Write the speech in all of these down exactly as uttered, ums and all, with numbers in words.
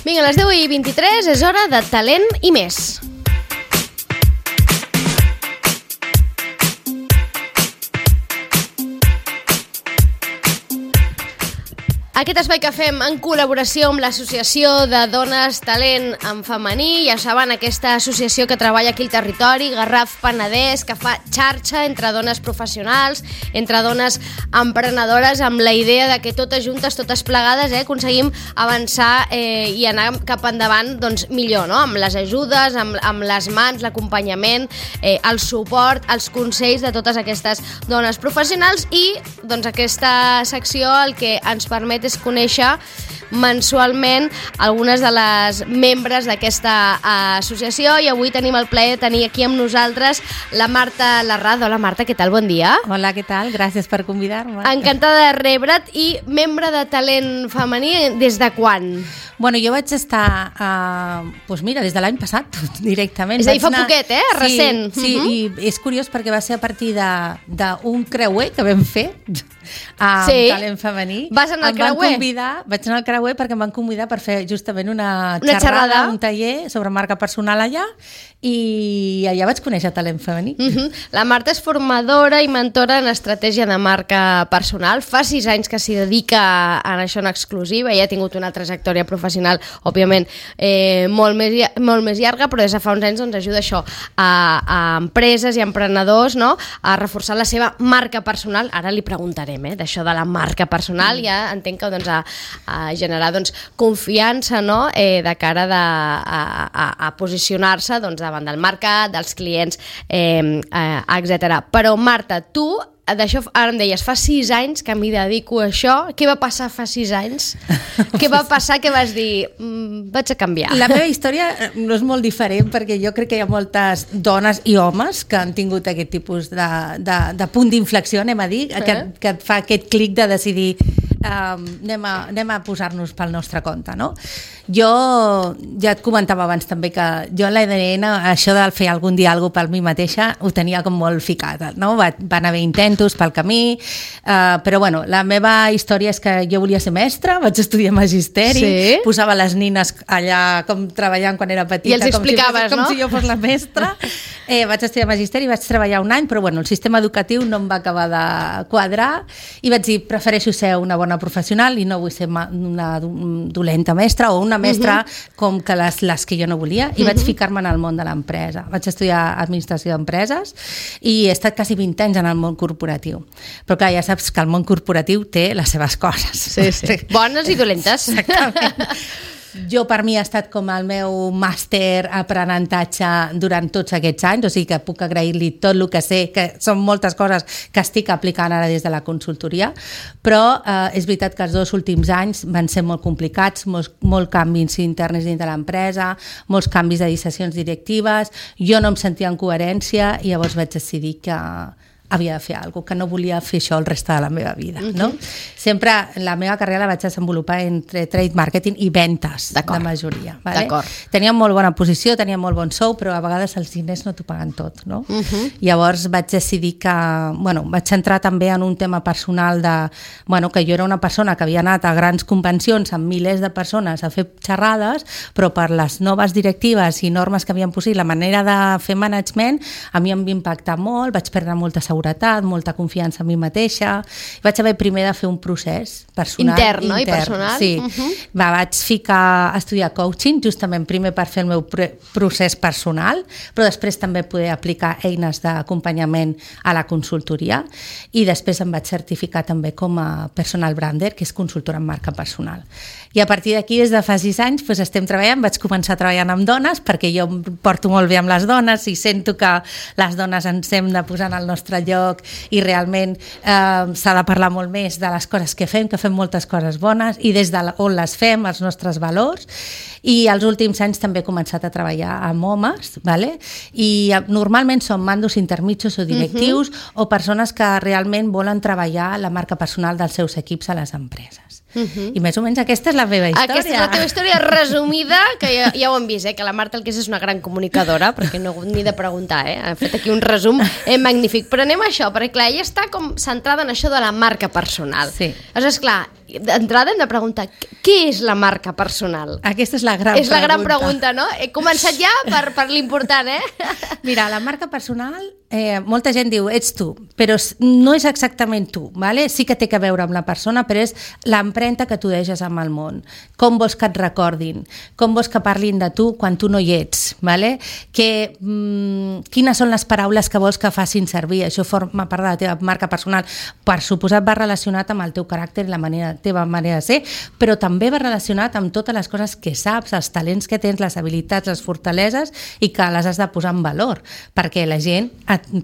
Vinga, a les deu i vint-i-tres és hora de talent i més. Aquest espai que fem en col·laboració amb l'Associació de Dones Talent en Femení, ja saben, aquesta associació que treballa aquí al territori, Garraf Penedès, que fa xarxa entre dones professionals, entre dones emprenedores, amb la idea de que totes juntes, totes plegades, eh, aconseguim avançar eh, i anar cap endavant doncs, millor, no? Amb les ajudes, amb, amb les mans, l'acompanyament, eh, el suport, els consells de totes aquestes dones professionals i doncs, aquesta secció el que ens permet és conèixer mensualment algunes de les membres d'aquesta associació i avui tenim el plaer de tenir aquí amb nosaltres la Marta Larraz. Hola Marta, què tal? Bon dia. Hola, què tal? Gràcies per convidar-me. Encantada de rebre't i membre de Talent Femení des de quan? Bueno, jo vaig estar, uh, doncs mira, des de l'any passat, directament. És a dir, fa anar... poquet, eh? Recent. Sí, sí, uh-huh. I és curiós perquè va ser a partir d'un creuer que vam fer amb sí. Talent Femení. Vas anar al creuer? Convidar, vaig anar al creuer perquè em van convidar per fer justament una, una xerrada, xerrada, un taller sobre marca personal allà i allà vaig conèixer Talent Femení. Uh-huh. La Marta és formadora i mentora en estratègia de marca personal. Fa sis anys que s'hi dedica a això en exclusiva i ha tingut una trajectòria professional, òbviament, eh, molt, més, molt més llarga, però des de fa uns anys doncs, ajuda això a, a empreses i emprenedors, no?, a reforçar la seva marca personal. Ara li preguntarem eh, d'això de la marca personal, mm. ja entenc que doncs, a, a generar doncs, confiança, no?, eh, de cara de, a, a, a posicionar-se doncs, davant del mercat, dels clients, eh, eh, etcètera. Però Marta, tu d'això, ara em deies, fa sis anys que m'hi dedico a això. Què va passar fa sis anys? Què va passar que vas dir, mm, vaig a canviar? La meva història no és molt diferent perquè jo crec que hi ha moltes dones i homes que han tingut aquest tipus de, de, de punt d'inflexió, anem a dir, uh-huh. que, que et fa aquest clic de decidir um, anem a, anem a posar-nos pel nostre compte, no? Jo ja et comentava abans també que jo en l'A D N, això de fer algun dia alguna cosa per mi mateixa, ho tenia com molt ficat, no? Va, van haver intents pel camí, uh, però bueno, la meva història és que jo volia ser mestra, vaig estudiar magisteri, sí. Posava les nines allà com treballant quan era petita, i els explicaves, com, si, com no? si jo fos la mestra. Eh, vaig estudiar magisteri, vaig treballar un any, però bueno, el sistema educatiu no em va acabar de quadrar i vaig dir, prefereixo ser una bona professional i no vull ser una dolenta mestra o una mestra uh-huh. com que les, les que jo no volia, i uh-huh. vaig ficar-me en el món de l'empresa. Vaig estudiar administració d'empreses i he estat quasi vint anys en el món corporatiu. Però clar, ja saps que el món corporatiu té les seves coses. Sí, sí. Bones i dolentes. Exactament. Jo, per mi, ha estat com el meu màster aprenentatge durant tots aquests anys, o sigui que puc agrair-li tot el que sé, que són moltes coses que estic aplicant ara des de la consultoria, però eh, és veritat que els dos últims anys van ser molt complicats, molts, molts canvis interns dins de l'empresa, molts canvis de decisions directives, jo no em sentia en coherència i llavors vaig decidir que havia de fer alguna cosa, que no volia fer això el reste de la meva vida, uh-huh. no? Sempre la meva carrera la vaig desenvolupar entre trade marketing i ventes, de majoria. Vale? D'acord. Tenia molt bona posició, tenia molt bon sou, però a vegades els diners no t'ho paguen tot, no? Uh-huh. Llavors vaig decidir que, bueno, vaig entrar també en un tema personal de, bueno, que jo era una persona que havia anat a grans convencions amb milers de persones a fer xerrades, però per les noves directives i normes que havien posat, la manera de fer management, a mi em va impactar molt, vaig perdre molta seguretat, molta confiança en mi mateixa. Vaig haver primer de fer un procés personal. Intern, no? Intern, I personal. Sí. Uh-huh. Va, vaig ficar a estudiar coaching, justament primer per fer el meu procés personal, però després també poder aplicar eines d'acompanyament a la consultoria i després em vaig certificar també com a personal brander, que és consultora en marca personal. I a partir d'aquí, des de fa sis anys, doncs estem treballant, vaig començar treballant amb dones, perquè jo em porto molt bé amb les dones i sento que les dones ens hem de posar en el nostre lloc i realment eh, s'ha de parlar molt més de les coses que fem, que fem moltes coses bones i des de on les fem, els nostres valors. I els últims anys també he començat a treballar amb homes, vale? I normalment són mandos intermitjos o directius uh-huh. o persones que realment volen treballar la marca personal dels seus equips a les empreses. Uh-huh. I més o menys aquesta és la meva història. Aquesta és la teva història resumida, que ja, ja ho hem vist, eh? Que la Marta el que és és una gran comunicadora, perquè no ni de preguntar, eh? Ha fet aquí un resum eh, magnífic. Però anem a això, perquè clar, ella està com centrada en això de la marca personal. Sí. Aleshores, clar, d'entrada hem de preguntar, què és la marca personal? Aquesta és la gran és pregunta. És la gran pregunta, no? He començat ja per, per l'important, eh? Mira, la marca personal, eh, molta gent diu, ets tu, però no és exactament tu, ¿vale? Sí que té que veure amb la persona, però és l'empremta que tu deixes amb el món. Com vols que et recordin? Com vols que parlin de tu quan tu no hi ets? ¿Vale? Que, mm, quines són les paraules que vols que facin servir? Això forma part de la teva marca personal. Per suposat va relacionat amb el teu caràcter i la manera, teva manera de ser, però també va relacionat amb totes les coses que saps, els talents que tens, les habilitats, les fortaleses, i que les has de posar en valor, perquè la gent,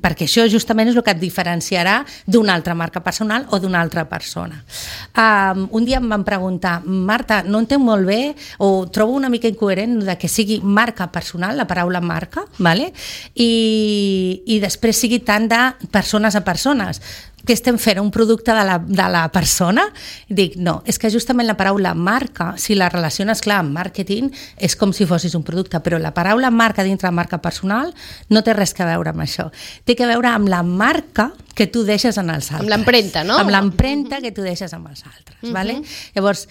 perquè això justament és el que et diferenciarà d'una altra marca personal o d'una altra persona. Um, un dia em van preguntar, Marta, no entenc molt bé, o trobo una mica incoherent de que sigui marca personal, la paraula marca, ¿vale? I, i després sigui tant de persones a persones. Què estem fent? Un producte de la, de la persona? Dic, no, és que justament la paraula marca, si la relaciones, clar, amb màrqueting, és com si fossis un producte, però la paraula marca dintre la marca personal no té res que veure amb això. Té que veure amb la marca que tu deixes en els altres. Amb l'empremta, no? Amb l'empremta que tu deixes amb els altres, uh-huh. ¿Vale? Llavors,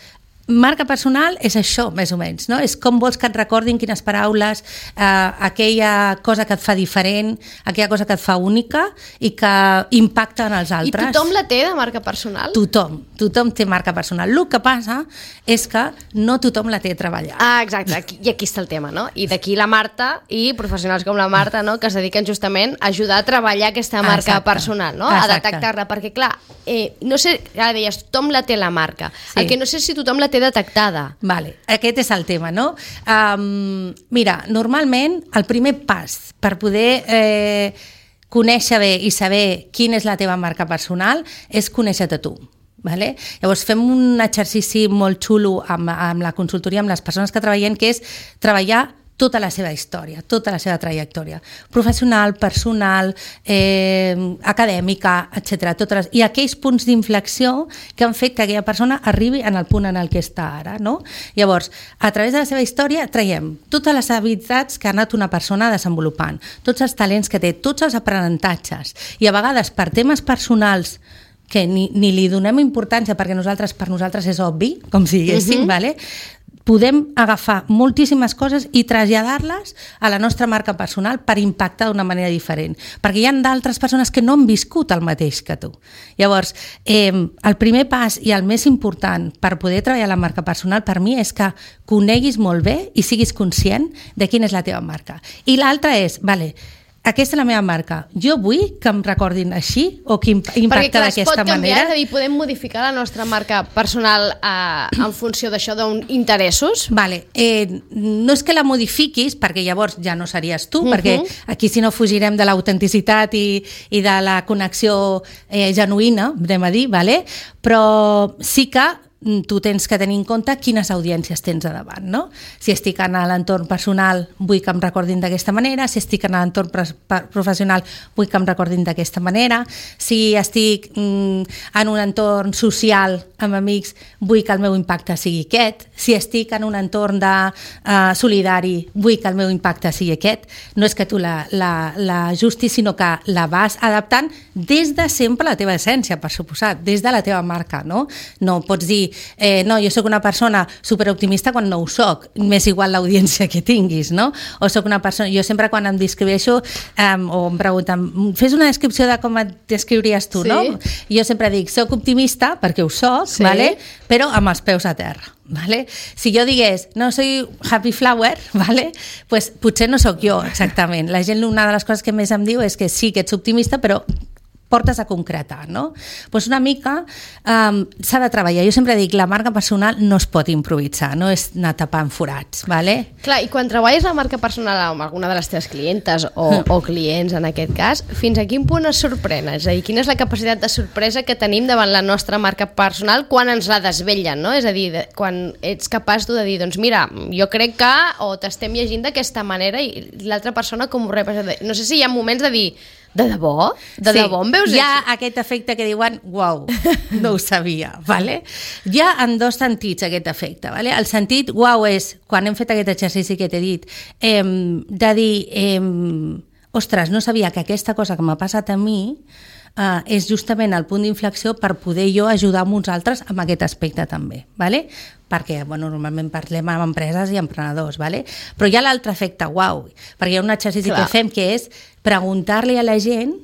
marca personal és això, més o menys, no? És com vols que et recordin quines paraules, eh, aquella cosa que et fa diferent, aquella cosa que et fa única i que impacta en els altres. I tothom la té, de marca personal? Tothom, tothom té marca personal. El que passa és que no tothom la té treballat. Ah, exacte, aquí, i aquí està el tema, no? I d'aquí la Marta i professionals com la Marta, no?, que es dediquen justament a ajudar a treballar aquesta marca Exacte. personal, no? Exacte. A detectar-la, perquè clar, eh, no sé, ara deies, tothom la té la marca, sí. El que no sé si tothom la té detectada. Vale, aquest és el tema, no? Um, mira, normalment el primer pas per poder eh, conèixer bé i saber quina és la teva marca personal és conèixer-te tu. Vale? Llavors fem un exercici molt xulo amb, amb la consultoria, amb les persones que treballem, que és treballar tota la seva història, tota la seva trajectòria, professional, personal, eh, acadèmica, etcètera. Totes les, i aquells punts d'inflexió que han fet que aquella persona arribi en el punt en el que està ara. No? Llavors, a través de la seva història traiem totes les habilitats que ha anat una persona desenvolupant, tots els talents que té, tots els aprenentatges, i a vegades per temes personals que ni, ni li donem importància perquè nosaltres per nosaltres és obvi, com si diguéssim, uh-huh. vale? Podem agafar moltíssimes coses i traslladar-les a la nostra marca personal per impactar d'una manera diferent, perquè hi ha d'altres persones que no han viscut el mateix que tu. Llavors, eh, el primer pas i el més important per poder treballar la marca personal per mi és que coneguis molt bé i siguis conscient de quina és la teva marca. I l'altra és, vale, aquesta és la meva marca. Jo vull que em recordin així o que impacta d'aquesta manera. Perquè clar, es pot canviar, és a dir, podem modificar la nostra marca personal eh, en funció d'això, d'uns interessos? Vale. Eh, no és que la modifiquis, perquè llavors ja no series tu, uh-huh. perquè aquí si no fugirem de l'autenticitat i, i de la connexió eh, genuïna, anem a dir, vale? Però sí que tu tens que tenir en compte quines audiències tens a davant, no? Si estic en l'entorn personal vull que em recordin d'aquesta manera, si estic en l'entorn professional vull que em recordin d'aquesta manera, si estic mm, en un entorn social amb amics vull que el meu impacte sigui aquest, si estic en un entorn de, uh, solidari vull que el meu impacte sigui aquest. No és que tu l'ajustis, sinó que la vas adaptant des de sempre la teva essència, per suposat, des de la teva marca, no? No pots dir Eh, no, jo sóc una persona superoptimista quan no ho soc, m'és igual l'audiència que tinguis, no? O sóc una persona, jo sempre quan em descriveixo um, o em pregunten, fes una descripció de com et descriuries tu, sí. no? Jo sempre dic, soc optimista, perquè ho soc, sí. vale? Però amb els peus a terra. Vale? Si jo digués, no, soy happy flower, vale? Pues potser no sóc jo exactament. La gent, una de les coses que més em diu és que sí que ets optimista, però portes a concretar, no? Pues una mica um, s'ha de treballar. Jo sempre dic, la marca personal no es pot improvisar, no és anar tapant forats, vale? Clar, i quan treballes la marca personal amb alguna de les teves clientes o, o clients, en aquest cas, fins a quin punt es sorprèn? És a dir, quina és la capacitat de sorpresa que tenim davant la nostra marca personal quan ens la desvetllen, no? És a dir, de, quan ets capaç tu de dir, doncs mira, jo crec que, o t'estem llegint d'aquesta manera i l'altra persona com ho rep. No sé si hi ha moments de dir, de debò? De sí, debò em veus hi ha així? Aquest efecte que diuen, uau, no ho sabia, vale? Hi ha en dos sentits aquest efecte, vale? El sentit, uau, és, quan hem fet aquest exercici que t'he dit, eh, de dir, eh, ostres, no sabia que aquesta cosa que m'ha passat a mi uh, és justament el punt d'inflexió per poder jo ajudar amb uns altres amb aquest aspecte també, ¿vale? Perquè bueno, normalment parlem amb empreses i emprenedors, ¿vale? Però hi ha l'altre efecte uau, perquè hi ha un exercici Clar. que fem que és preguntar-li a la gent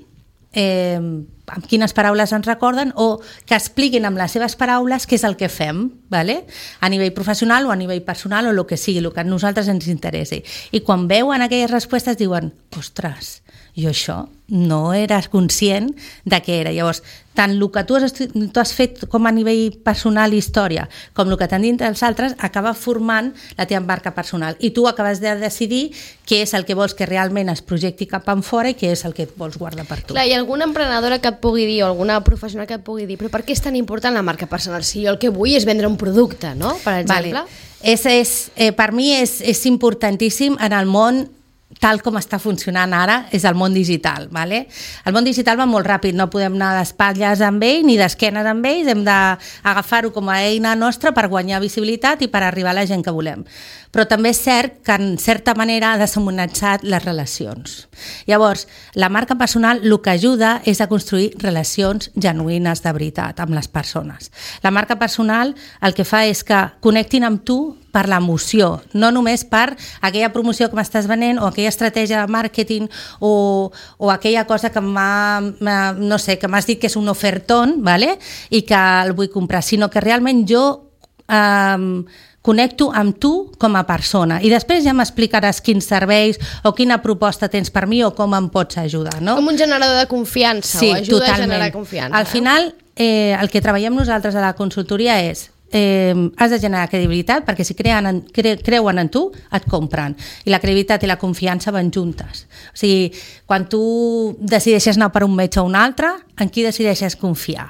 eh, amb quines paraules ens recorden o que expliquin amb les seves paraules què és el que fem, ¿vale? A nivell professional o a nivell personal o el que sigui, el que a nosaltres ens interessi. I quan veuen aquelles respostes diuen, ostres, jo això no eres conscient de què era. Llavors, tant el que tu has, tu has fet com a nivell personal i història, com el que t'han dit els altres, acaba formant la teva marca personal. I tu acabes de decidir què és el que vols que realment es projecti cap enfora i què és el que vols guardar per tu. Clar, hi ha alguna emprenedora que et pugui dir o alguna professional que et pugui dir però per què és tan important la marca personal? Si jo el que vull és vendre un producte, no? Per exemple. Vale. És, és, eh, per mi és, és importantíssim en el món tal com està funcionant ara, és el món digital. ¿Vale? El món digital va molt ràpid, no podem anar d'espatlles amb ell ni d'esquenes amb ells, hem d'agafar-ho com a eina nostra per guanyar visibilitat i per arribar a la gent que volem. Però també és cert que en certa manera ha deshumanitzat les relacions. Llavors, la marca personal el que ajuda és a construir relacions genuïnes de veritat amb les persones. La marca personal el que fa és que connectin amb tu per l'emoció, no només per aquella promoció que m'estàs venent o aquella estratègia de màrqueting o, o aquella cosa que m'ha, no sé, que m'has dit que és un ofertón, ¿vale? I que el vull comprar, sinó que realment jo eh, connecto amb tu com a persona i després ja m'explicaràs quins serveis o quina proposta tens per mi o com em pots ajudar, no? Com un generador de confiança sí, o ajuda totalment. a generar confiança. Al final, eh, el que treballem nosaltres a la consultoria és Eh, has de generar credibilitat perquè si creuen en, cre, creuen en tu et compren i la credibilitat i la confiança van juntes, o sigui, quan tu decideixes anar per un metge o un altre, en qui decideixes confiar?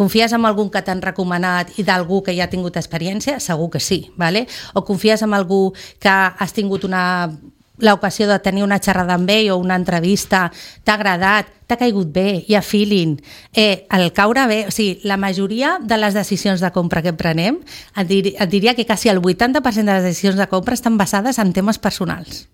Confies en algú que t'han recomanat i d'algú que ja ha tingut experiència? Segur que sí, ¿vale? O confies en algú que has tingut una l'ocasió de tenir una xerrada amb ell o una entrevista, t'ha agradat, t'ha caigut bé, hi ha feeling, eh, el caure bé, o sigui, la majoria de les decisions de compra que prenem, et, dir, et diria que quasi el vuitanta per cent de les decisions de compra estan basades en temes personals.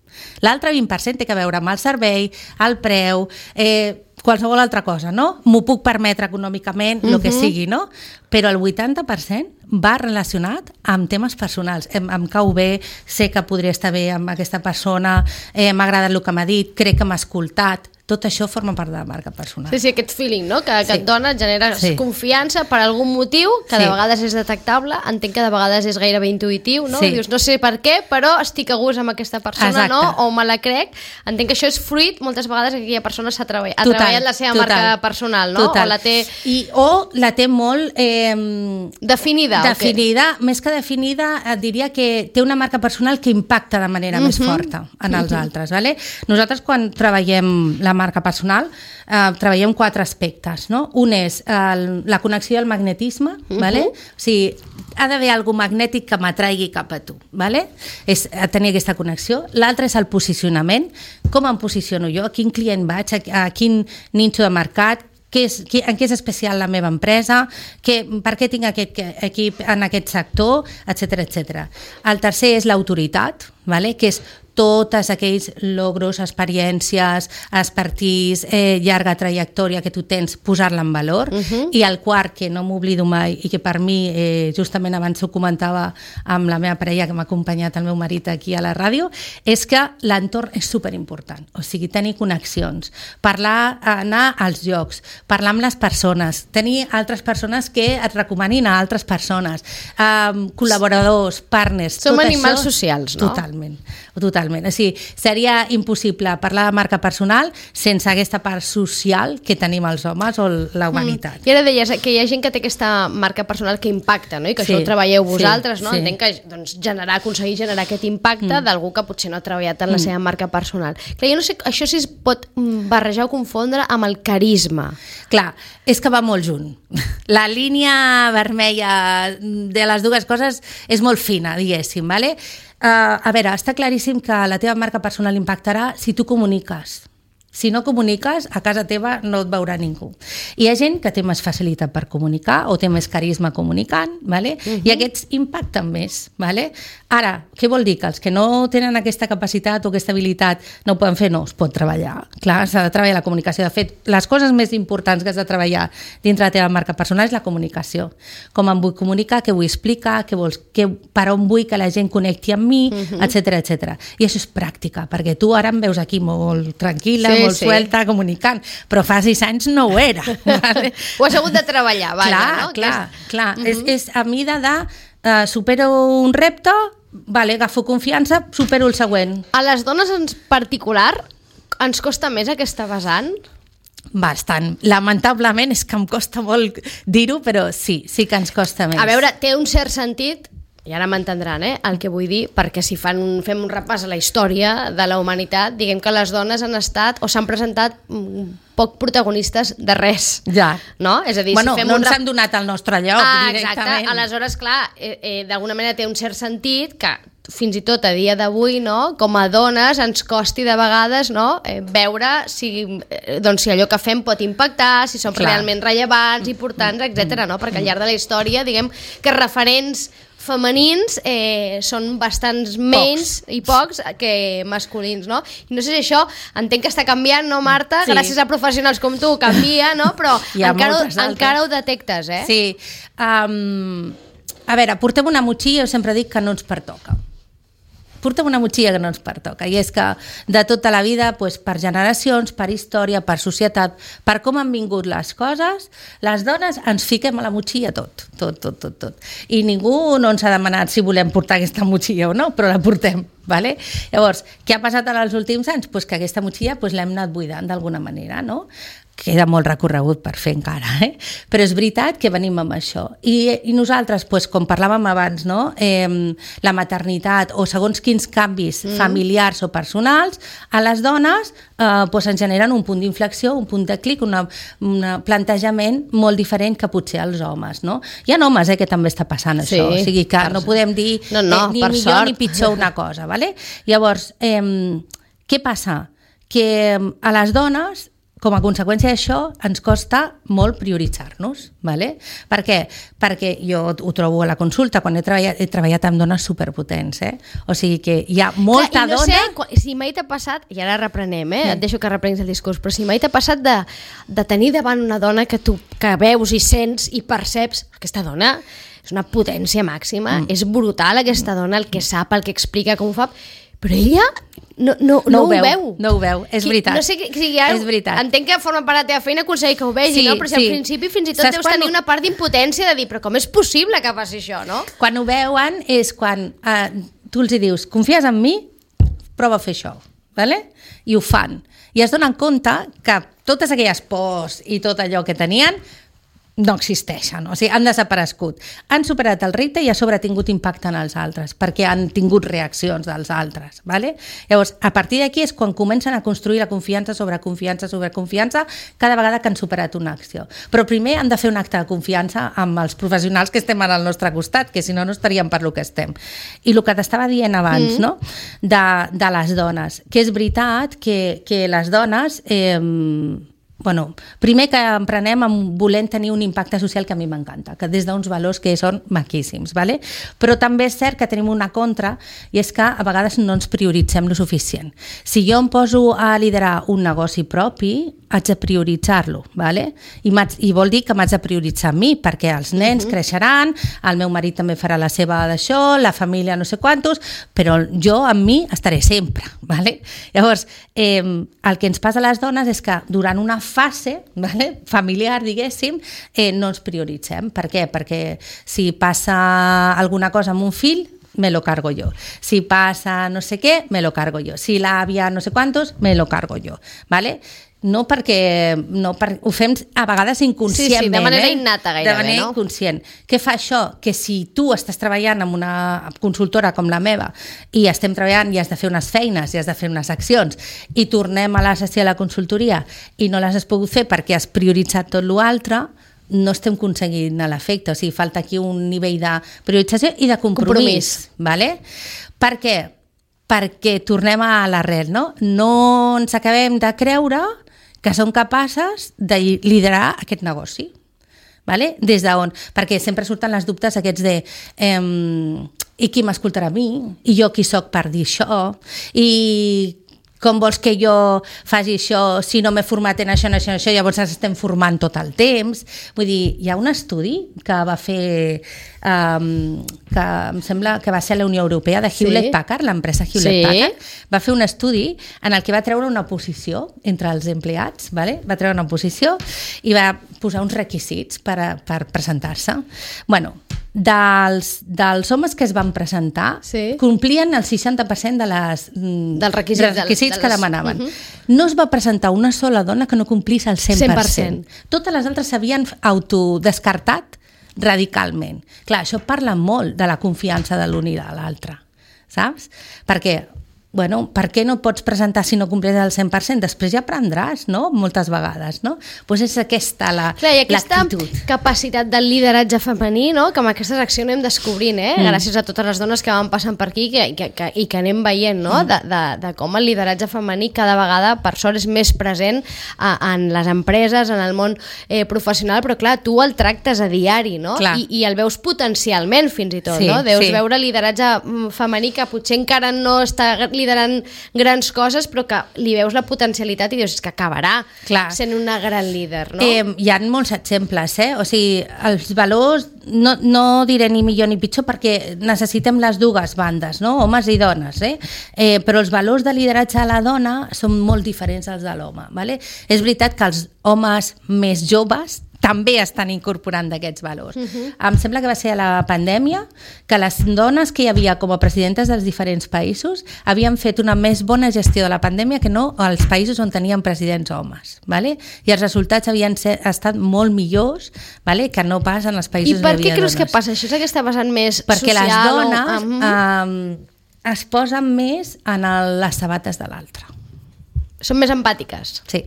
L'altre vint per cent té a veure amb el servei, el preu, eh, qualsevol altra cosa, no? M'ho puc permetre econòmicament, el uh-huh. que sigui, no? Però el vuitanta per cent va relacionat amb temes personals. Em, em cau bé, sé que podria estar bé amb aquesta persona, eh, m'ha agradat el que m'ha dit, crec que m'ha escoltat. Tot això forma part de la marca personal. Sí, sí, aquest feeling, no? Que, que sí. et dona, et genera sí. confiança per algun motiu, que sí. de vegades és detectable, entenc que de vegades és gairebé intuïtiu, no? Sí. Dius, no sé per què, però estic a gust amb aquesta persona, Exacte. no? O me la crec. Entenc que això és fruit, moltes vegades, que aquella persona s'ha treballat, ha total, treballat la seva total, marca personal, no? Total. O la té... I, o la té molt... Eh, definida. Definida, més que definida, et diria que té una marca personal que impacta de manera uh-huh. més forta en els uh-huh. altres, ¿vale? Nosaltres, quan treballem la marca personal, eh, treballem quatre aspectes, no? Un és el, la connexió al magnetisme, uh-huh. ¿vale? O sigui, ha d'haver algú magnètic que m'atraigui cap a tu, ¿vale? És tenir aquesta connexió. L'altre és el posicionament, com em posiciono jo, a quin client vaig, a, a quin nicho de mercat, què és, què, en què és especial la meva empresa, què, per què tinc aquest equip en aquest sector, etcètera, etcètera. El tercer és l'autoritat, ¿vale? Que és totes aquells logros, experiències, expertís, eh, llarga trajectòria que tu tens, posar-la en valor. Uh-huh. I el quart, que no m'oblido mai i que per mi, eh, justament abans ho comentava amb la meva parella que m'ha acompanyat, el meu marit aquí a la ràdio, és que l'entorn és superimportant. O sigui, tenir connexions, parlar, anar als llocs, parlar amb les persones, tenir altres persones que et recomanin a altres persones, eh, col·laboradors, partners... Som tot animals això, socials, no? Totalment. Totalment. O sigui, seria impossible parlar de marca personal sense aquesta part social que tenim els homes o la humanitat. Mm. I ara deies que hi ha gent que té aquesta marca personal que impacta, no? I que sí, això ho treballeu vosaltres, sí, no? Sí. Entenc que doncs, generar, aconseguir generar aquest impacte mm. d'algú que potser no ha treballat en la mm. seva marca personal. Clar, jo no sé, això sí es pot barrejar o confondre amb el carisma. Clar, és que va molt junt. La línia vermella de les dues coses és molt fina, diguéssim, ¿vale? Uh, a veure, està claríssim que la teva marca personal impactarà si tu comuniques Si no comuniques, a casa teva no et veurà ningú. Hi ha gent que té més facilitat per comunicar o té més carisma comunicant, ¿vale? Uh-huh. I aquests impacten més. ¿Vale? Ara, què vol dir? Que els que no tenen aquesta capacitat o aquesta habilitat no ho poden fer? No, es pot treballar. Clar, s'ha de treballar la comunicació. De fet, les coses més importants que has de treballar dintre la teva marca personal és la comunicació. Com em vull comunicar, què vull explicar, què vols, què, per on vull que la gent connecti amb mi, uh-huh. etcètera, etcètera. I això és pràctica, perquè tu ara em veus aquí molt tranquil·la, sí, molt sí. suelta, comunicant, però fa sis anys no ho era. Vale? Ho has hagut de treballar, vaja, clar, no? Clar, és... clar. Uh-huh. és, és a mida de uh, supero un repte, vale, agafo confiança, supero el següent. A les dones en particular ens costa més aquesta vessant? Bastant. Lamentablement és que em costa molt dir-ho, però sí, sí que ens costa més. A veure, té un cert sentit, i ara m'entendran, eh, el que vull dir, perquè si fan un, fem un repàs a la història de la humanitat, diguem que les dones han estat o s'han presentat poc protagonistes de res. Ja. No? És a dir, bueno, si fem no un ens rep... han donat el nostre lloc ah, directament. Exacte, aleshores, clar, eh, eh, d'alguna manera té un cert sentit que fins i tot a dia d'avui, no, com a dones ens costi de vegades, no, eh, veure si, eh, doncs, si allò que fem pot impactar, si som Clar. realment rellevants, importants, etcètera, no? Perquè al llarg de la història, diguem que referents femenins eh, són bastants menys pocs. i pocs que masculins, no? I no sé si això, entenc que està canviant, no, Marta? Sí. Gràcies a professionals com tu, canvia, no? Però encara, encara ho detectes, eh? Sí. Um, a veure, portem una motxilla, jo sempre dic que no ens pertoca. Portem una motxilla que no ens pertoca, i és que de tota la vida, doncs, per generacions, per història, per societat, per com han vingut les coses, les dones ens fiquem a la motxilla tot, tot, tot, tot, tot. I ningú no ens ha demanat si volem portar aquesta motxilla o no, però la portem. Vale? Llavors, què ha passat en els últims anys? Pues que aquesta motxilla pues, l'hem anat buidant d'alguna manera, no? Queda molt recorregut per fer encara, eh? Però és veritat que venim amb això. I, i nosaltres, pues, com parlàvem abans, no? eh, la maternitat o segons quins canvis mm. familiars o personals, a les dones eh, pues, ens generen un punt d'inflexió, un punt de clic, un plantejament molt diferent que potser als homes, no? Hi ha homes eh, que també està passant sí, això, o sigui que no podem dir no, no, eh, ni millor sort. ni pitjor una cosa, ¿vale? Llavors, eh, què passa? Que a les dones, com a conseqüència d'això, ens costa molt prioritzar-nos. ¿Vale? Per què? Perquè jo ho trobo a la consulta, quan he treballat, he treballat amb dones superpotents, eh? O sigui que hi ha molta Clar, no dona... Sé, si mai t'ha passat, i ara reprenem, eh? Sí. Et deixo que reprenguis el discurs, però si mai t'ha passat de, de tenir davant una dona que tu que veus i sents i perceps, aquesta dona és una potència màxima, mm. és brutal aquesta dona, el que sap, el que explica, com ho fa, però ella no, no, no, no ho, ho veu, veu. No ho veu, és veritat. No sé, o sigui, ja, és veritat. Entenc que forma part de la teva feina aconseguir que ho vegi, sí, no? Però si sí. al principi fins i tot Saps deus quan... tenir una part d'impotència de dir, però com és possible que faci això, no? Quan ho veuen és quan eh, tu els hi dius, confies en mi? Prova a fer això, ¿vale? I ho fan. I es donen compte que totes aquelles pors i tot allò que tenien no existeixen, o sigui, han desaparegut. Han superat el repte i a sobre ha tingut impacte en els altres, perquè han tingut reaccions dels altres. ¿Vale? Llavors, a partir d'aquí és quan comencen a construir la confiança sobre confiança sobre confiança cada vegada que han superat una acció. Però primer han de fer un acte de confiança amb els professionals que estem al nostre costat, que si no, no estaríem per lo que estem. I el que t'estava dient abans, mm. no? de, de les dones, que és veritat que, que les dones... Eh, Bueno, primer que emprenem amb volent tenir un impacte social que a mi m'encanta, que des d'uns valors que són maquíssims, ¿vale? Però també és cert que tenim una contra i és que a vegades no ens prioritzem lo suficient. Si jo em poso a liderar un negoci propi, haig de prioritzar-lo, ¿vale? I, i vol dir que m'haig de prioritzar a mi, perquè els nens uh-huh. creixeran, el meu marit també farà la seva d'això, la família no sé quantos, però jo amb mi estaré sempre, ¿vale? Llavors, eh, el que ens passa a les dones és que durant una fase, ¿vale? familiar, diguéssim, eh, no ens prioritzem. Per què? Perquè si passa alguna cosa amb un fill, me lo cargo yo. Si passa no sé què, me lo cargo yo. Si l'àvia no sé quantos, me lo cargo yo. ¿Vale? No perquè no, per, ho fem a vegades inconscientment. Sí, sí, de manera eh? innata gairebé, de manera no? inconscient. Què fa això? Que si tu estàs treballant amb una consultora com la meva i estem treballant i has de fer unes feines i has de fer unes accions i tornem a la sessió de la consultoria i no les has pogut fer perquè has prioritzat tot l'altre, no estem aconseguint l'efecte. O sigui, falta aquí un nivell de priorització i de compromís. compromís. ¿Vale? Per què? perquè tornem a l'arrel, no? No ens acabem de creure que som capaces de liderar aquest negoci. Vale? Des d'on? Perquè sempre surten les dubtes aquests de eh, i qui m'escoltarà a mi? I jo qui sóc per dir això? I com vols que jo faci això si no m'he format en això, en això, en això, llavors ens estem formant tot el temps. Vull dir, hi ha un estudi que va fer, um, que em sembla que va ser la Unió Europea de Hewlett-Packard, sí. l'empresa Hewlett-Packard, sí. va fer un estudi en el que va treure una posició entre els empleats, vale? va treure una posició i va posar uns requisits per, a, per presentar-se. Bueno, dels, dels homes que es van presentar sí. complien el seixanta per cent de les, dels requisits, dels requisits de les... que demanaven. Uh-huh. No es va presentar una sola dona que no complís el cent per cent. cent per cent. Totes les altres s'havien autodescartat radicalment. Clar, això parla molt de la confiança de l'un i de l'altre, saps? Perquè bueno, per què no pots presentar si no complís el cent per cent? Després ja aprendràs, no? Moltes vegades, no? Doncs és aquesta la, Clar, i aquesta l'actitud. Capacitat del lideratge femení, no? Que amb aquestes accions anem descobrint, eh? Mm. Gràcies a totes les dones que van passant per aquí que, que, que, i que anem veient, no? Mm. De, de, de com el lideratge femení cada vegada, per sort, és més present a, en les empreses, en el món eh, professional, però clar, tu el tractes a diari, no? I, I el veus potencialment, fins i tot, sí, no? Deus sí. veure lideratge femení que potser encara no està liderant grans coses, però que li veus la potencialitat i dius, és que acabarà Clar. sent una gran líder, no? Eh, hi ha molts exemples, eh? O sigui, els valors, no, no diré ni millor ni pitjor, perquè necessitem les dues bandes, no? Homes i dones, eh? eh? Però els valors de lideratge a la dona són molt diferents als de l'home, vale? És veritat que els homes més joves també estan incorporant d'aquests valors. Uh-huh. Em sembla que va ser a la pandèmia que les dones que hi havia com a presidentes dels diferents països havien fet una més bona gestió de la pandèmia que no als països on tenien presidents homes. Vale? I els resultats havien ser, estat molt millors, vale? Que no pas en els països on hi havia dones. I per què creus que passa? Això és que està passant més Perquè social? Perquè les dones o... uh-huh. um, es posen més en el, les sabates de l'altre. Són més empàtiques. Sí.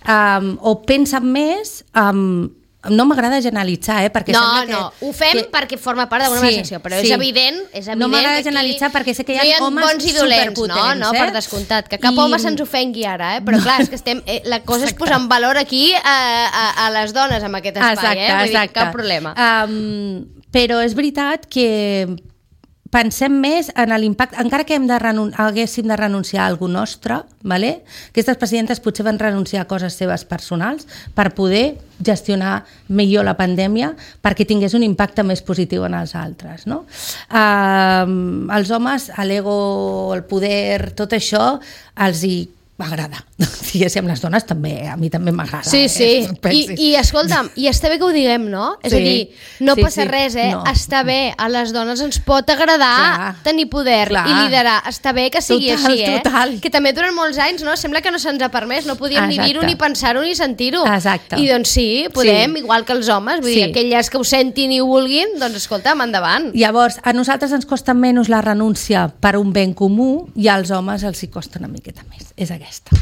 Um, o pensen més um, no m'agrada generalitzar, eh, perquè no, sembla que... No, no, ho fem que... perquè forma part d'una sí, secció, però sí. és evident, és evident no m'agrada que generalitzar perquè sé que hi ha, no hi ha homes bons i dolents, superpotents, no, no, eh? per descomptat, que cap I... home se'ns ofengui ara, eh? Però clar, és que estem, eh, la cosa exacte. és posar en valor aquí a, a, a les dones amb aquest espai, exacte, eh? Vull exacte. dir, cap problema. Um, però és veritat que pensem més en l'impacte, encara que hem de renun- haguéssim de renunciar a alguna nostre, vale? Aquestes presidentes potser van renunciar a coses seves personals per poder gestionar millor la pandèmia perquè tingués un impacte més positiu en els altres. No? Uh, els homes, l'ego, el poder, tot això, els hi m'agrada. Diguéssim, les dones també, a mi també m'agrada. Sí, sí. Eh? I, I escolta'm, i està bé que ho diguem, no? És sí, a dir, no sí, passa sí. res, eh? No. Està bé, a les dones ens pot agradar clar, tenir poder clar. i liderar. Està bé que sigui total, així, eh? Total. Que també durant molts anys, no? Sembla que no se'ns ha permès, no podíem Exacte. ni dir-ho, ni pensar-ho, ni sentir-ho. Exacte. I doncs sí, podem, sí. igual que els homes, vull sí. dir, aquelles que ho sentin i ho vulguin, doncs escolta'm, endavant. Llavors, a nosaltres ens costa menys la renúncia per un ben comú i als homes els hi costa una miqueta més. És aquesta.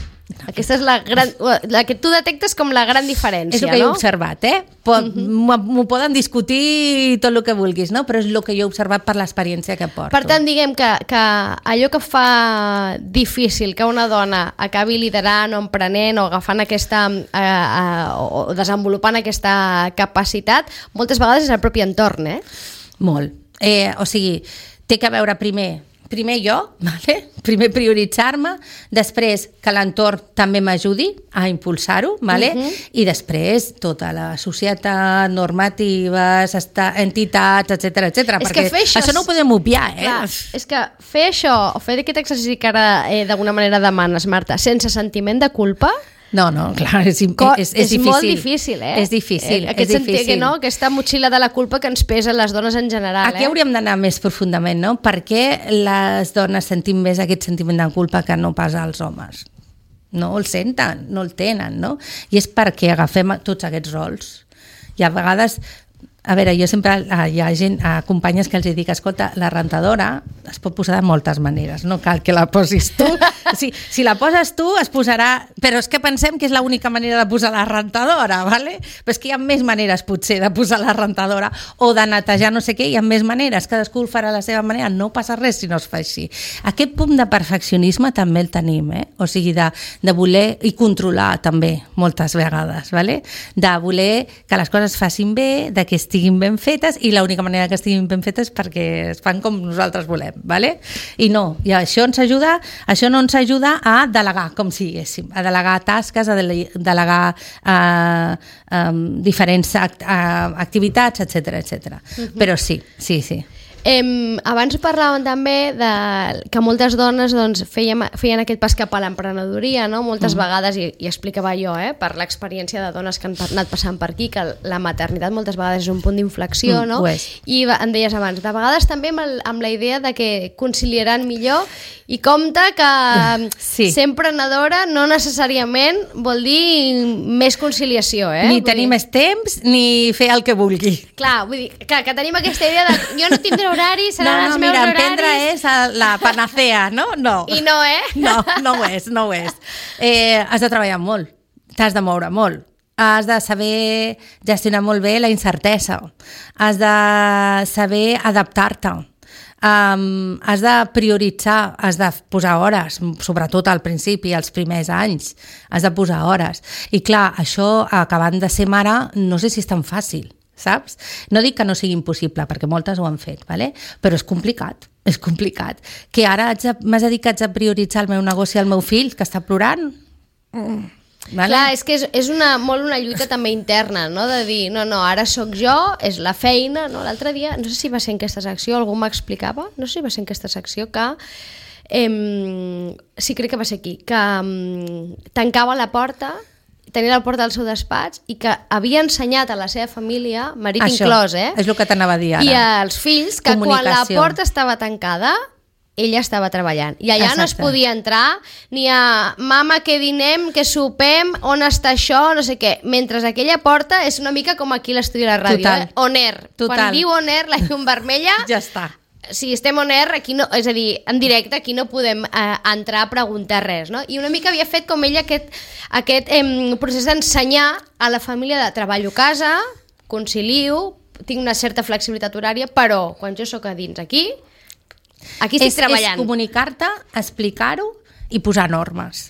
Aquesta és la gran... la que tu detectes com la gran diferència, és el que no? jo he observat, eh? Pot, uh-huh. M'ho poden discutir tot el que vulguis, no? Però és el que jo he observat per l'experiència que porto. Per tant, diguem que, que allò que fa difícil que una dona acabi liderant o emprenent o agafant aquesta... Eh, eh, o desenvolupant aquesta capacitat, moltes vegades és el propi entorn, eh? Molt. Eh, o sigui, té que veure primer... Primer jo, vale? Primer prioritzar-me, després que l'entorn també m'ajudi a impulsar-ho, vale? Uh-huh. I després tota la societat, normatives, entitats, etcètera, etcètera. Perquè que això, això no ho podem obviar, eh? Clar, és que fer això, o fer aquest exercici que ara eh, d'alguna manera demanes, Marta, sense sentiment de culpa... No, no, clar, és, és, és, és difícil. molt difícil, eh? És difícil, eh, aquest és difícil. Sentit, no? Aquesta motxilla de la culpa que ens pesa les dones en general. Aquí eh? hauríem d'anar més profundament, no? Per què les dones sentim més aquest sentiment de culpa que no pas els homes? No el senten, no el tenen, no? I és perquè agafem tots aquests rols. I a vegades... A veure, jo sempre hi ha gent, a companyes que els dic, escolta, la rentadora es pot posar de moltes maneres, no cal que la posis tu. Si, si la poses tu, es posarà... Però és que pensem que és l'única manera de posar la rentadora, ¿vale? Però és que hi ha més maneres, potser, de posar la rentadora o de netejar no sé què, hi ha més maneres, cadascú el farà a la seva manera, no passa res si no es fa així. Aquest punt de perfeccionisme també el tenim, eh? O sigui, de, de voler i controlar també, moltes vegades, ¿vale? De voler que les coses facin bé, de que estiguin ben fetes, i l'única manera que estiguin ben fetes és perquè es fan com nosaltres volem, ¿vale? I no, i això ens ajuda, això no ens ajuda a delegar, com si diguéssim, a delegar tasques, a delegar eh, eh, diferents act, eh, activitats, etcètera, etcètera. Uh-huh. Però sí, sí, sí. Eh, abans parlàvem també de que moltes dones doncs, feien, feien aquest pas cap a l'emprenedoria, no? Moltes mm. vegades, i, i explicava jo, eh, per l'experiència de dones que han anat passant per aquí, que la maternitat moltes vegades és un punt d'inflexió, mm, no? I em deies abans, de vegades també amb, el, amb la idea de que conciliaran millor, i compte que sí. ser emprenedora no necessàriament vol dir més conciliació, eh? Ni vull tenir dir... més temps, ni fer el que vulgui. Clar, vull dir, clar, que tenim aquesta idea de jo no tindré horaris, seran no, no, els meus mira, horaris... emprendre és la panacea, no? No. I no, eh? No, no ho és, no ho és. Eh, has de treballar molt, t'has de moure molt, has de saber gestionar molt bé la incertesa, has de saber adaptar-te, um, has de prioritzar, has de posar hores, sobretot al principi, als primers anys, has de posar hores. I clar, això, acabant de ser mare, no sé si és tan fàcil, saps? No dic que no sigui impossible, perquè moltes ho han fet, ¿vale? Però és complicat, és complicat. Que ara m'has de dir que haig de prioritzar el meu negoci al meu fill, que està plorant? Mm. Vale? Clar, és que és, és una, molt una lluita també interna, no? De dir, no, no, ara sóc jo, és la feina, no? L'altre dia, no sé si va ser en aquesta secció, algú m'explicava, no sé si va ser en aquesta secció, que eh, sí, crec que va ser aquí, que eh, tancava la porta, tenia la porta del seu despatx i que havia ensenyat a la seva família, marit això, inclòs, eh? És el que t'anava a dir ara. I als fills, que quan la porta estava tancada, ella estava treballant. I allà Exacte. No es podia entrar ni a mama, que dinem, que sopem, on està això, no sé què. Mentre aquella porta és una mica com aquí l'estudi de la ràdio, Total. eh? On air. Total. Quan diu on air, la llum vermella... ja està. Si estem on air, aquí no, és a dir, en directe, aquí no podem eh, entrar a preguntar res, no? I una mica havia fet com ella aquest, aquest eh, procés d'ensenyar a la família de treballo a casa, concilio, tinc una certa flexibilitat horària, però quan jo sóc a dins aquí, aquí estic és, treballant. És comunicar-te, explicar-ho i posar normes,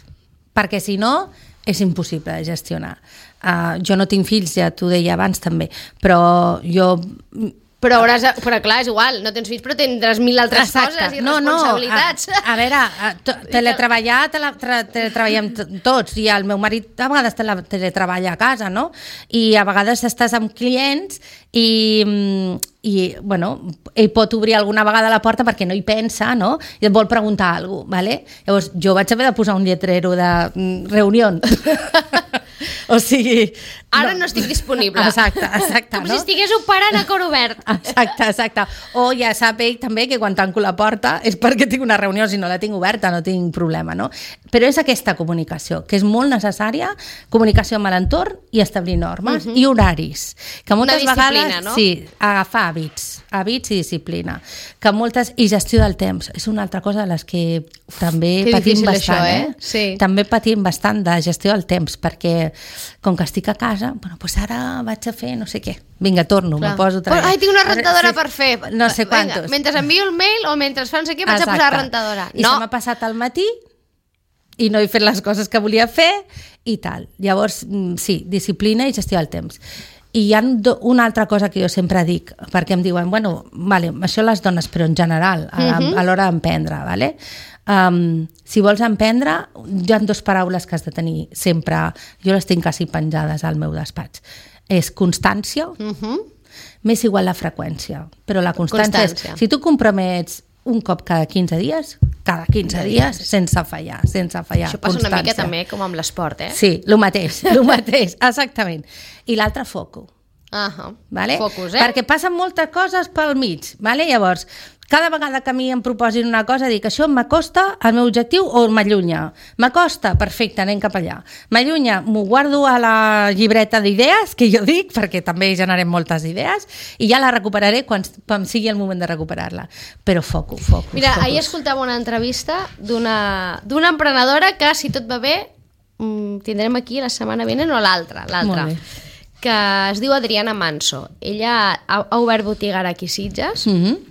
perquè si no és impossible de gestionar. Uh, jo no tinc fills, ja t'ho deia abans també, però jo... Però, hauràs, però clar, és igual, no tens fills, però tindràs mil altres Exacte. Coses i no, responsabilitats. No, a, a veure, a, to, teletreballar, tele, teletreballem tots, i el meu marit a vegades tele, teletreballa a casa, no? I a vegades estàs amb clients i, i bueno, ell pot obrir alguna vegada la porta perquè no hi pensa, no? I et vol preguntar alguna cosa, ¿vale? Llavors jo vaig haver de posar un lletrero de reunió. O sigui... Ara no, no estic disponible. Exacte, exacte. Com no? si estigués operant a cor obert. Exacte, exacte. O ja sap ell també que quan tanco la porta és perquè tinc una reunió, si no la tinc oberta no tinc problema, no? Però és aquesta comunicació, que és molt necessària, comunicació amb l'entorn i establir normes uh-huh. i horaris. Que moltes una disciplina, vegades, no? Sí, agafar hàbits, hàbits i disciplina. Que moltes, i gestió del temps, és una altra cosa de les que també que patim bastant, això, eh? eh? Sí. També patim bastant de gestió del temps, perquè com que estic a casa, bueno, doncs ara vaig a fer no sé què. Vinga, torno, me poso otra vez. Ai, tinc una rentadora sí, per fer. No sé quantos. Vinga, mentre envio el mail o mentre fas no sé què vaig Exacte. A posar la rentadora. I no. se m'ha passat al matí i no he fet les coses que volia fer i tal. Llavors, sí, disciplina i gestió del temps. I hi ha una altra cosa que jo sempre dic, perquè em diuen, bueno, vale, això les dones, però en general, a, uh-huh. a l'hora d'emprendre, vale? Um, si vols emprendre, hi ha dues paraules que has de tenir sempre, jo les tinc quasi penjades al meu despatx. És constància, uh-huh. més igual la freqüència, però la constància, constància. És, si tu compromets un cop cada quinze dies, cada quinze dies, sense fallar, sense fallar. Això passa constància. Una mica també com amb l'esport, eh? Sí, el mateix, el mateix, exactament. I l'altre foco. Uh-huh. Vale? Focus, eh? Perquè passen moltes coses pel mig. Vale? Llavors, cada vegada que a mi em proposin una cosa, dic, això m'acosta al meu objectiu o m'allunya? M'acosta? Perfecte, anem cap allà. M'allunya? M'ho guardo a la llibreta d'idees, que jo dic, perquè també generem moltes idees, i ja la recuperaré quan, quan sigui el moment de recuperar-la. Però focus, focus. Mira, focus. ahir escoltava una entrevista d'una d'una emprenedora que, si tot va bé, tindrem aquí la setmana vinent o l'altra, l'altra, que es diu Adriana Manso. Ella ha, ha obert botiga ara aquí a Sitges. Mm-hmm.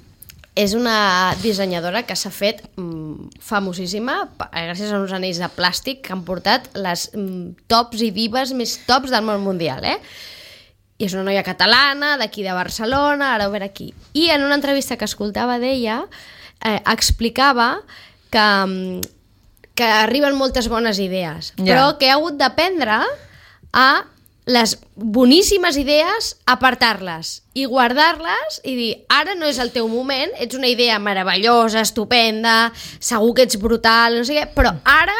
És una dissenyadora que s'ha fet mm, famosíssima gràcies a uns anells de plàstic que han portat les mm, tops i divas més tops del món mundial, eh? I és una noia catalana, d'aquí de Barcelona, ara obert aquí. I en una entrevista que escoltava d'ella, eh, explicava que, que arriben moltes bones idees, yeah. però que ha hagut d'aprendre a les boníssimes idees, apartar-les i guardar-les i dir, ara no és el teu moment, ets una idea meravellosa, estupenda, segur que ets brutal, no sé què, però ara,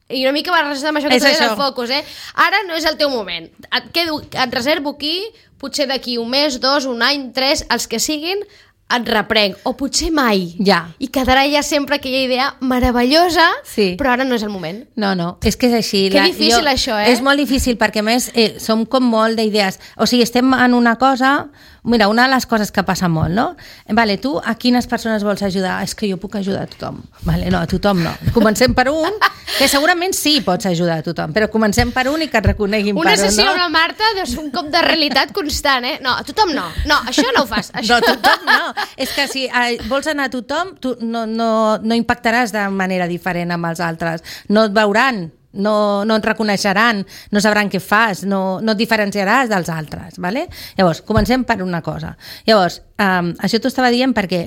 i una mica va relacionat amb això que tu deies del focus, eh? Ara no és el teu moment. Et, quedo, et reservo aquí, potser d'aquí un mes, dos, un any, tres, els que siguin, et reprenc, o potser mai. Ja. I quedarà ja sempre aquella idea meravellosa, sí. però ara no és el moment. No, no, és que és així. Que la, difícil jo, això, eh? És molt difícil perquè, a més, eh, som com molt d'idees. O sigui, estem en una cosa... Mira, una de les coses que passa molt, no? Vale, tu a quines persones vols ajudar? És que jo puc ajudar a tothom. Vale, no, a tothom no. Comencem per un, que segurament sí pots ajudar a tothom, però comencem per un i que et reconeguin una per un, no? Una sessió amb la Marta és un cop de realitat constant, eh? No, a tothom no. No, això no ho fas. Això. No, a tothom no. És que si eh, vols anar a tothom, tu no, no, no impactaràs de manera diferent amb els altres. No et veuran. No, no et reconeixeran, no sabran què fas, no, no et diferenciaràs dels altres, ¿vale? Llavors, comencem per una cosa. Llavors, um, això t'ho estava dient perquè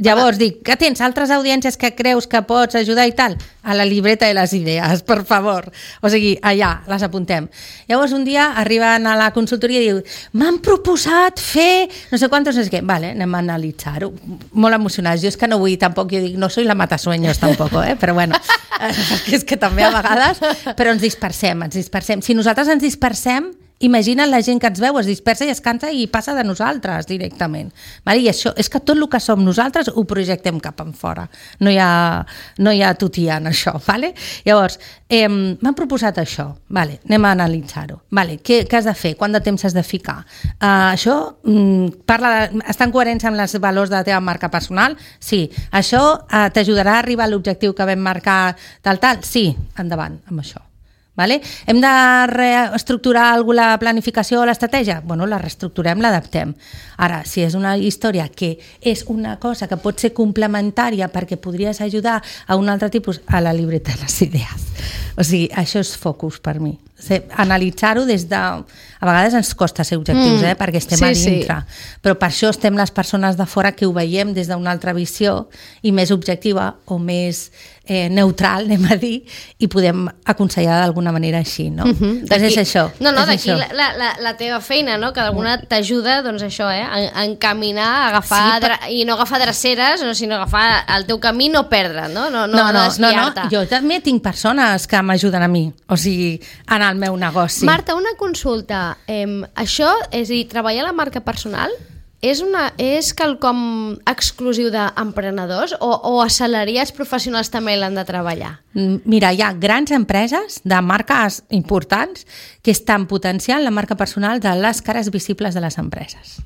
llavors dic, que tens altres audiències que creus que pots ajudar i tal? A la libreta de les idees, per favor. O sigui, allà, les apuntem. Llavors un dia arriben a la consultoria i diu, m'han proposat fer no sé quantos, no sé què. Vale, anem a analitzar-ho. Molt emocionats. Jo és que no vull tampoc, jo dic, no soy la matasueños tampoc, eh? Però bueno, perquè és que també a vegades, però ens dispersem, ens dispersem. Si nosaltres ens dispersem, imagina la gent que ens veu, es dispersa i es cansa i passa de nosaltres directament. Vale? I això és que tot el que som nosaltres ho projectem cap en fora. No hi ha, no hi ha tutia en això. Vale? Llavors, eh, m'han proposat això. Vale, anem a analitzar-ho. Vale, què, què has de fer? Quant de temps has de ficar? Uh, això mm, parla de, està en coherència amb els valors de la teva marca personal? Sí. Això uh, t'ajudarà a arribar a l'objectiu que vam marcar tal, tal? Sí. Endavant amb això. Vale? Hem de reestructurar alguna planificació o l'estratègia? Bueno, la reestructurem, l'adaptem. Ara, si és una història que és una cosa que pot ser complementària perquè podries ajudar a un altre tipus, a la libreta de les idees. O sigui, això és focus per mi. O sigui, analitzar-ho des de... A vegades ens costa ser objectius, mm. eh? Perquè estem sí, a dintre. Sí. Però per això estem les persones de fora que ho veiem des d'una altra visió i més objectiva o més eh, neutral, anem a dir, i podem aconsellar d'alguna manera així, no? Mm-hmm. Doncs és això. No, no, és d'aquí això. La, la, la teva feina, no? Que d'alguna t'ajuda, doncs això, eh? A, a encaminar, a agafar, sí, però... i no agafar dreceres, no, sinó agafar el teu camí i no perdre'n, no? No, no, no, no, no, no. Jo també tinc persones que m'ajuden a mi, o sigui, en el meu negoci. Marta, una consulta. Eh, això, és a dir, treballar la marca personal és, una, és quelcom exclusiu d'emprenedors o, o assalariats professionals també l'han de treballar? Mira, hi ha grans empreses de marques importants que estan potenciant la marca personal de les cares visibles de les empreses,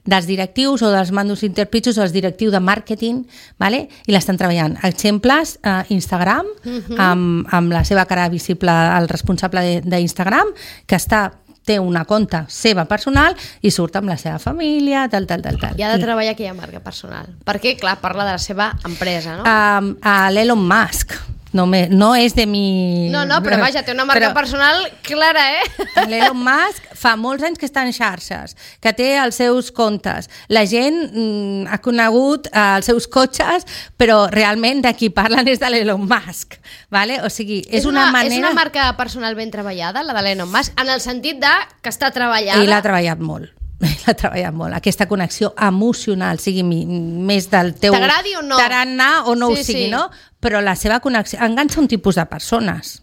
dels directius o dels mandos interpitxos o dels directius de màrqueting, vale? I l'estan treballant. Exemples, eh, Instagram, uh-huh. amb, amb la seva cara visible, el responsable d'Instagram, que està té una compte seva personal i surt amb la seva família, tal, tal, tal, tal. I ha de treballar aquella marca personal. Perquè, clar, parla de la seva empresa, no? Um, a l'Elon Musk. No, me, no és de mi... No, no, però vaja, té una marca però, personal clara, eh? L'Elon Musk fa molts anys que està en xarxes, que té els seus comptes. La gent mm, ha conegut eh, els seus cotxes, però realment de qui parlen és de l'Elon Musk. Vale? O sigui, és, és, una, una manera... és una marca personal ben treballada, la de l'Elon Musk, en el sentit de que està treballada... Ell ha treballat molt. L'ha treballat molt, aquesta connexió emocional, sigui més del teu t'agradi o no, tarannà o no sí, ho sigui, sí. no? Però la seva connexió enganxa un tipus de persones.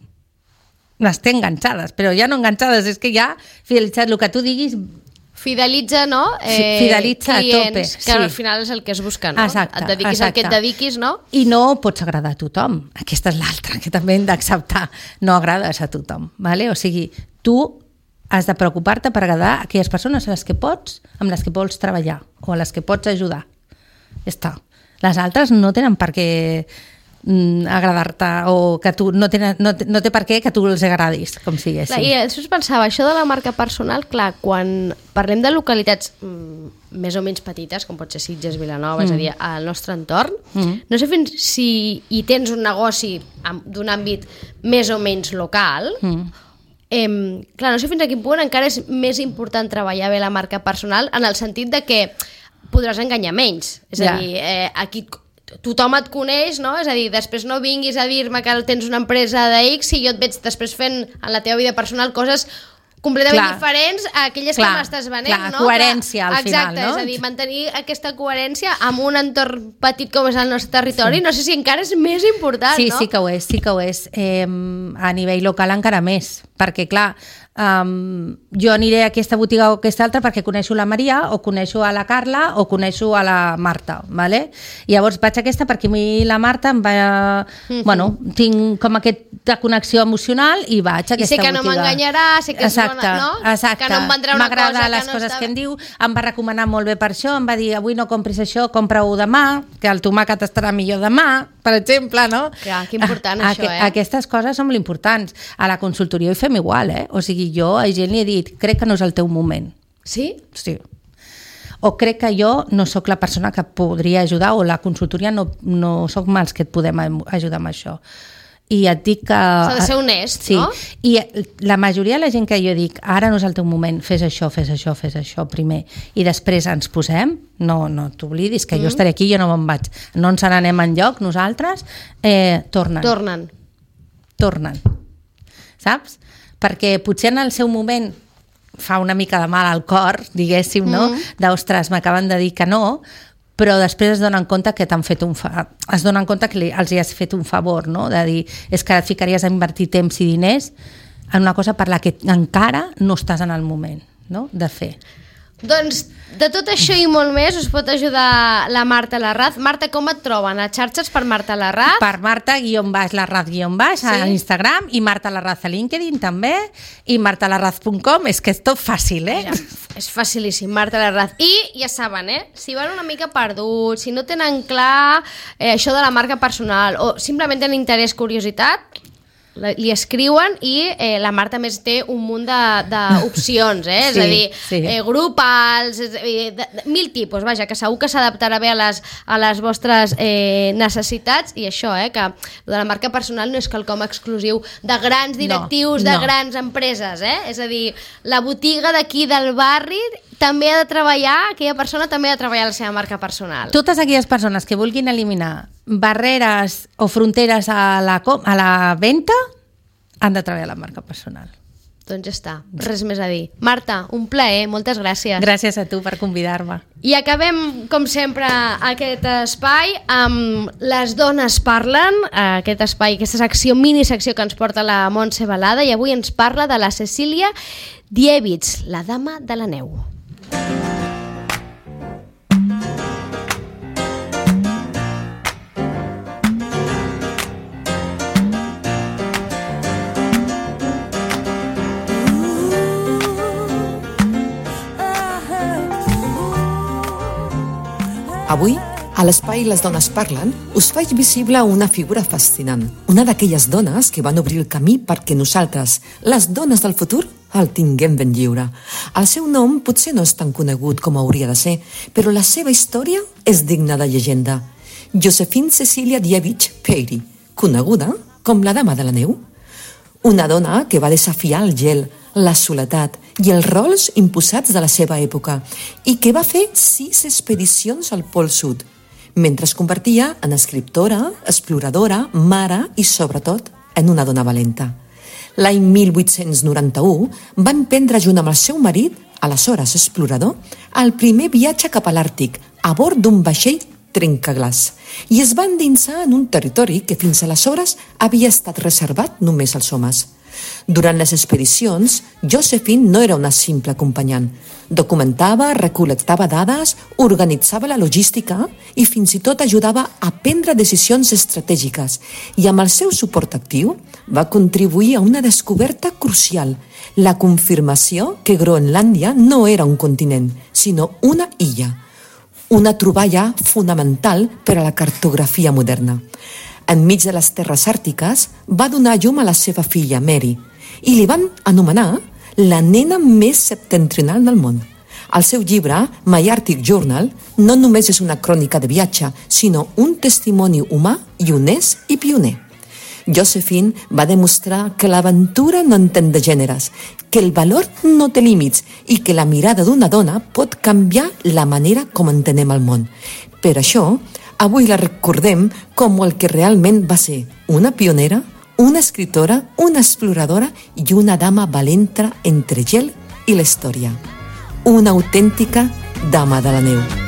Les té enganxades, però ja no enganxades, és que ja fidelitzat, el que tu diguis Fidelitza, no? Eh, Fidelitza clients, a tope. Que sí. Al final és el que es busca, no? Exacte, et dediquis exacte. al que et dediquis, no? I no pots agradar a tothom. Aquesta és l'altra, que també hem d'acceptar. No agrades a tothom, ¿vale? O sigui, tu has de preocupar-te per agradar a aquelles persones a les que pots, amb les que vols treballar o a les que pots ajudar. Ja està. Les altres no tenen per què agradar-te o que tu no, tenen, no, no té per què que tu els agradis, com siguessin. I després pensava, això de la marca personal, clar, quan parlem de localitats mm, més o menys petites, com pot ser Sitges, Vilanova, mm. és a dir, al nostre entorn, mm. no sé fins si hi tens un negoci d'un àmbit més o menys local, mm. eh, clar, no sé fins a quin punt encara és més important treballar bé la marca personal en el sentit de que podràs enganyar menys. És yeah. a dir, eh, aquí tothom et coneix, no? És a dir, després no vinguis a dir-me que tens una empresa de X i jo et veig després fent en la teva vida personal coses completament clar. diferents a aquelles clar, que m'estàs venent, clar, no? Coherència al Exacte, final, no? És a dir, mantenir aquesta coherència amb un entorn petit com és el nostre territori, sí. no sé si encara és més important, sí, no? Sí, sí que ho és, sí que ho és. Eh, a nivell local encara més, perquè clar, Um, jo aniré a aquesta botiga o a aquesta altra perquè coneixo la Maria o coneixo a la Carla o coneixo a la Marta, ¿vale? I llavors vaig a aquesta perquè a mi la Marta em va... Mm-hmm. Bueno, tinc com aquesta connexió emocional i vaig a aquesta botiga. I sé que botiga. No m'enganyarà, sé que és exacte, bona, no? Exacte. Que no em vendrà una m'agrada cosa les que no coses estava... que em diu, em va recomanar molt bé per això, em va dir avui no compris això, compra-ho demà, que el tomàquet estarà millor demà, per exemple, no? Clar, que important a, això, eh? Aquestes coses són molt importants. A la consultoria hi fem igual, eh? O sigui, jo a gent li he dit, crec que no és el teu moment. Sí? Sí. O crec que jo no sóc la persona que podria ajudar o la consultoria no, no sóc mals que et podem ajudar amb això. I et dic que... S'ha de ser honest, sí. no? I la majoria de la gent que jo dic, ara no és el teu moment, fes això, fes això, fes això primer, i després ens posem, no, no t'oblidis que mm. jo estaré aquí, jo no me'n vaig, no ens n'anem enlloc nosaltres, eh, tornen. Tornen. Tornen. Saps? Perquè potser en el seu moment fa una mica de mal al cor, diguéssim, no? Mm. D'ostres, m'acaben de dir que no, però després es donen compte que t'han fet un fa... es donen compte que li, els hi has fet un favor, no? De dir, és que et ficaries a invertir temps i diners en una cosa per la que encara no estàs en el moment, no? De fer. Doncs de tot això i molt més us pot ajudar la Marta Larraz. Marta, com et troben? A xarxes per Marta Larraz? Per Marta guion baix, Larraz guion baix, sí? A Instagram, i Marta Larraz a LinkedIn també, i martalarraz punt com. És que és tot fàcil, eh? Ja, és facilíssim, Marta Larraz. I ja saben, eh? Si van una mica perduts, si no tenen clar eh, això de la marca personal o simplement tenen interès, curiositat, li escriuen i eh, la Marta més té un munt d'opcions, eh? Sí, és a dir, sí. eh, grupals, eh, de, de, mil tipus, vaja, que segur que s'adaptarà bé a les, a les vostres eh, necessitats, i això, eh, que de la marca personal no és quelcom exclusiu de grans directius, no, de no. grans empreses, eh? És a dir, la botiga d'aquí del barri també ha de treballar, aquella persona també ha de treballar la seva marca personal. Totes aquelles persones que vulguin eliminar barreres o fronteres a la, a la venda han de treballar la marca personal. Doncs ja està, res més a dir. Marta, un plaer, moltes gràcies. Gràcies a tu per convidar-me. I acabem, com sempre, aquest espai amb Les dones parlen, aquest espai, aquesta secció, minisecció que ens porta la Montse Balada, i avui ens parla de la Cecília Diewitz, la dama de la neu. Avui, a l'espai Les dones parlen, us faig visible una figura fascinant, una d'aquelles dones que van obrir el camí perquè nosaltres, les dones del futur, el tinguem ben lliure. El seu nom potser no és tan conegut com hauria de ser, però la seva història és digna de llegenda. Josephine Cecilia Diewitz Peiri, coneguda com la dama de la neu. Una dona que va desafiar el gel, la soledat i els rols imposats de la seva època i que va fer sis expedicions al Pol Sud, mentre es convertia en escriptora, exploradora, mare i, sobretot, en una dona valenta. L'any mil vuit-cents noranta-u va emprendre junt amb el seu marit, aleshores explorador, el primer viatge cap a l'Àrtic a bord d'un vaixell trencaglaç i es va endinsar en un territori que fins aleshores havia estat reservat només als homes. Durant les expedicions, Josephine no era una simple acompanyant. Documentava, recol·lectava dades, organitzava la logística i fins i tot ajudava a prendre decisions estratègiques. I amb el seu suport actiu va contribuir a una descoberta crucial, la confirmació que Groenlàndia no era un continent, sinó una illa. Una troballa fonamental per a la cartografia moderna. Enmig de les terres àrtiques, va donar llum a la seva filla, Mary, i li van anomenar la nena més septentrional del món. El seu llibre, My Arctic Journal, no només és una crònica de viatge, sinó un testimoni humà i honest i pioner. Josephine va demostrar que l'aventura no entén de gèneres, que el valor no té límits i que la mirada d'una dona pot canviar la manera com entenem el món. Per això, avui la recordem com el que realment va ser una pionera, una escritora, una exploradora i una dama valenta entre gel i la història. Una autèntica dama de la neu.